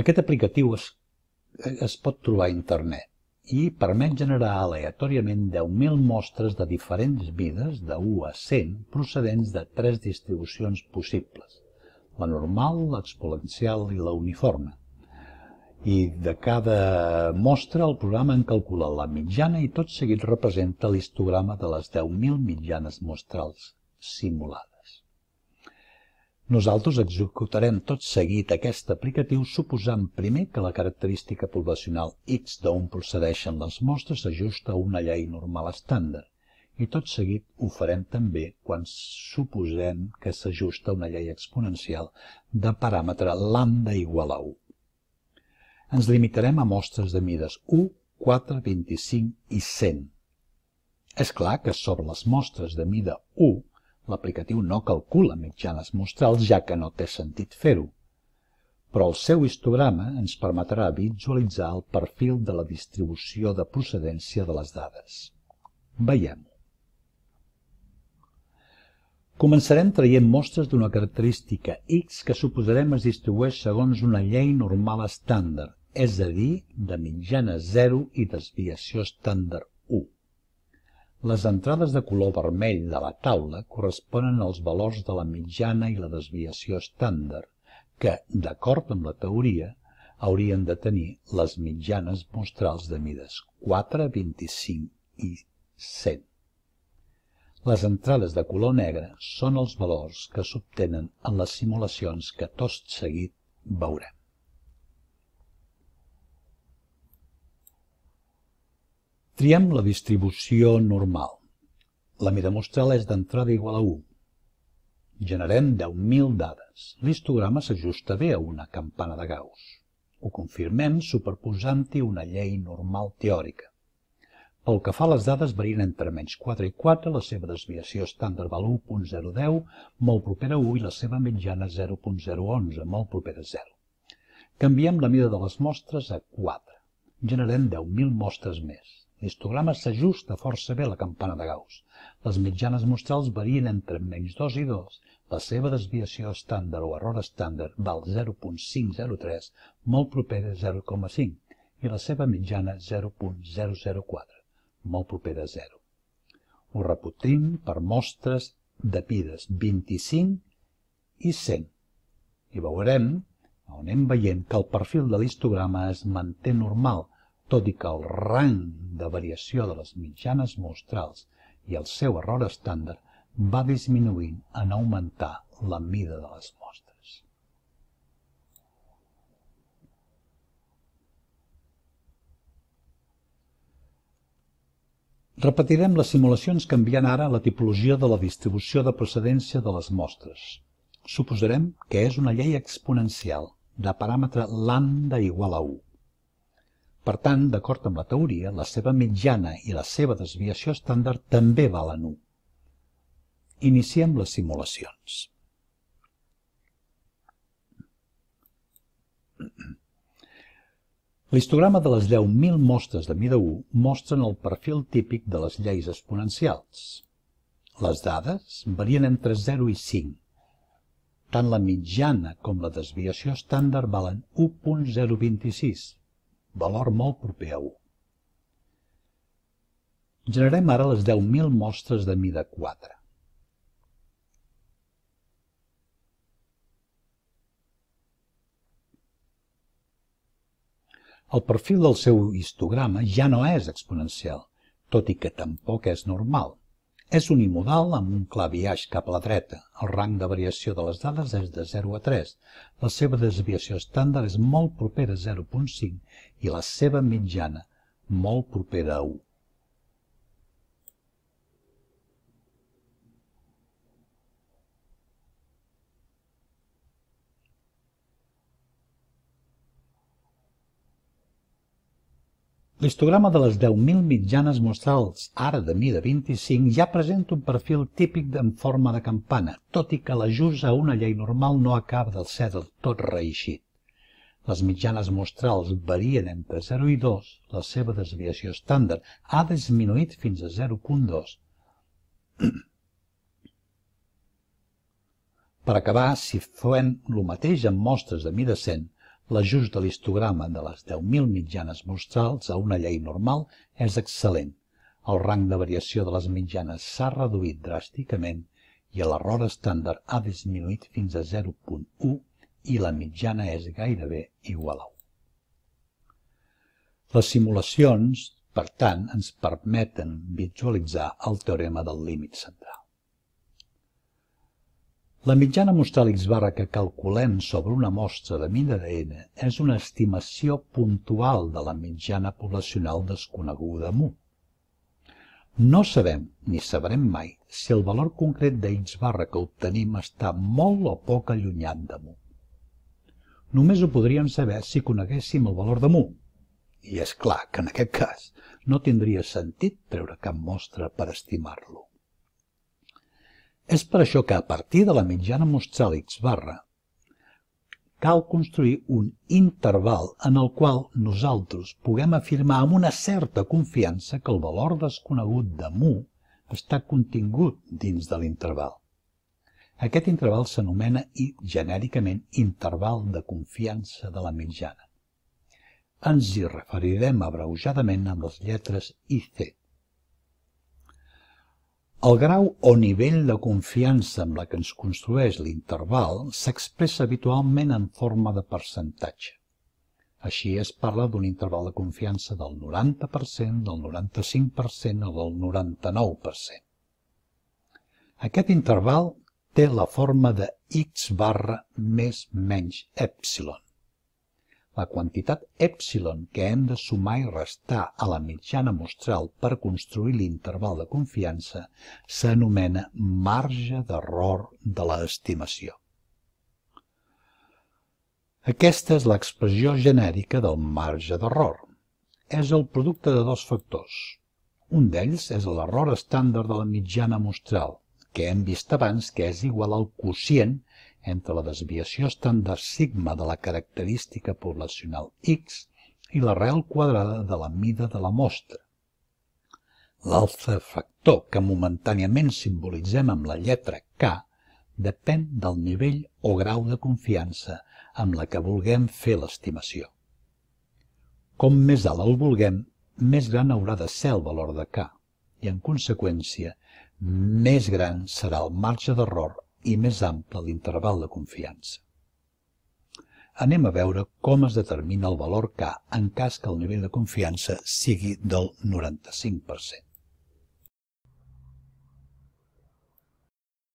Aquest aplicatiu es pot trobar a internet i permet generar aleatòriament 10.000 mostres de diferents mides de 1 a 100 procedents de 3 distribucions possibles: la normal, l'exponencial i la uniforme. I de cada mostra el programa en calcula la mitjana i tot seguit representa l'histograma de les 10.000 mitjanes mostrals simulades. Nosaltres executarem tot seguit aquest aplicatiu suposant primer que la característica poblacional X d'on procedeixen les mostres s'ajusta a una llei normal estàndard, i tot seguit ho farem també quan suposem que s'ajusta a una llei exponencial de paràmetre lambda igual a 1. Ens limitarem a mostres de mides 1, 4, 25 i 100. És clar que sobre les mostres de mida 1 l'aplicatiu no calcula mitjanes mostrals, ja que no té sentit fer-ho, però el seu histograma ens permetrà visualitzar el perfil de la distribució de procedència de les dades. Veiem-ho. Començarem traient mostres d'una característica X que suposarem es distribueix segons una llei normal estàndard, és a dir, de mitjana 0 i desviació estàndard 1. Les entrades de color vermell de la taula corresponen als valors de la mitjana i la desviació estàndard, que, d'acord amb la teoria, haurien de tenir les mitjanes mostrals de mides 4, 25 i 100. Les entrades de color negre són els valors que s'obtenen en les simulacions que tot seguit veurem. Triem la distribució normal. La mida mostral és d'entrada igual a 1. Generem 10.000 dades. L'histograma s'ajusta bé a una campana de Gauss. Ho confirmem superposant-hi una llei normal teòrica. Pel que fa a les dades varien entre menys 4 i 4, la seva desviació estàndard val 1.010, molt propera a 1, i la seva mitjana 0.011, molt propera a 0. Canviem la mida de les mostres a 4. Generem 10.000 mostres més. L'histograma s'ajusta força bé a la campana de Gauss. Les mitjanes mostrals varien entre menys 2 i 2, la seva desviació estàndard o error estàndard val 0.503, molt propera a 0.5, i la seva mitjana 0.004, molt propera a 0. Ho repetim per mostres de mides 25 i 100, i veurem, on anem veient, que el perfil de l'histograma es manté normal, tot i que el rang de variació de les mitjanes mostrals i el seu error estàndard va disminuint en augmentar la mida de les mostres. Repetirem les simulacions canviant ara la tipologia de la distribució de procedència de les mostres. Suposarem que és una llei exponencial de paràmetre lambda igual a 1. Per tant, d'acord amb la teoria, la seva mitjana i la seva desviació estàndard també valen 1. Iniciem les simulacions. L'histograma de les 10.000 mostres de mida 1 mostren el perfil típic de les lleis exponencials. Les dades varien entre 0 i 5. Tant la mitjana com la desviació estàndard valen 1.026. Valor molt proper a 1. Generem ara les 10.000 mostres de mida 4. El perfil del seu histograma ja no és exponencial, tot i que tampoc és normal. És unimodal amb un clar biaix cap a la dreta. El rang de variació de les dades és de 0 a 3. La seva desviació estàndard és molt propera a 0.5 i la seva mitjana molt propera a 1. L'histograma de les 10.000 mitjanes mostrals, ara de mida 25, ja presenta un perfil típic en forma de campana, tot i que l'ajust a una llei normal no acaba de ser del tot reeixit. Les mitjanes mostrals varien entre 0 i 2, la seva desviació estàndard ha disminuït fins a 0.2. Per acabar, si fem el mateix amb mostres de mida 100, L'ajust de l'histograma de les 10.000 mitjanes mostrals a una llei normal és excel·lent. El rang de variació de les mitjanes s'ha reduït dràsticament i l'error estàndard ha disminuït fins a 0.1 i la mitjana és gairebé igual a 1. Les simulacions, per tant, ens permeten visualitzar el teorema del límit central. La mitjana mostral x barra que calculem sobre una mostra de mida de n és una estimació puntual de la mitjana poblacional desconeguda mu. No sabem, ni sabrem mai, si el valor concret de x barra que obtenim està molt o poc allunyat de mu. Només ho podríem saber si coneguéssim el valor de mu. I és clar que en aquest cas no tindria sentit treure cap mostra per estimar-lo. És per això que a partir de la mitjana mostral x barra cal construir un interval en el qual nosaltres puguem afirmar amb una certa confiança que el valor desconegut de mu està contingut dins de l'interval. Aquest interval s'anomena genèricament interval de confiança de la mitjana. Ens hi referirem abreujadament amb les lletres I, C. El grau o nivell de confiança amb la que ens construeix l'interval s'expressa habitualment en forma de percentatge. Així es parla d'un interval de confiança del 90%, del 95% o del 99%. Aquest interval té la forma de x barra més menys epsilon. La quantitat epsilon que hem de sumar i restar a la mitjana mostral per construir l'interval de confiança s'anomena marge d'error de l'estimació. Aquesta és l'expressió genèrica del marge d'error. És el producte de dos factors. Un d'ells és l'error estàndard de la mitjana mostral, que hem vist abans que és igual al quocient entre la desviació estàndard sigma de la característica poblacional x i l'arrel quadrada de la mida de la mostra. L'altre factor, que momentàniament simbolitzem amb la lletra K, depèn del nivell o grau de confiança amb la que vulguem fer l'estimació. Com més alt el vulguem, més gran haurà de ser el valor de K, i en conseqüència, més gran serà el marge d'error i més ample l'interval de confiança. Anem a veure com es determina el valor K en cas que el nivell de confiança sigui del 95%.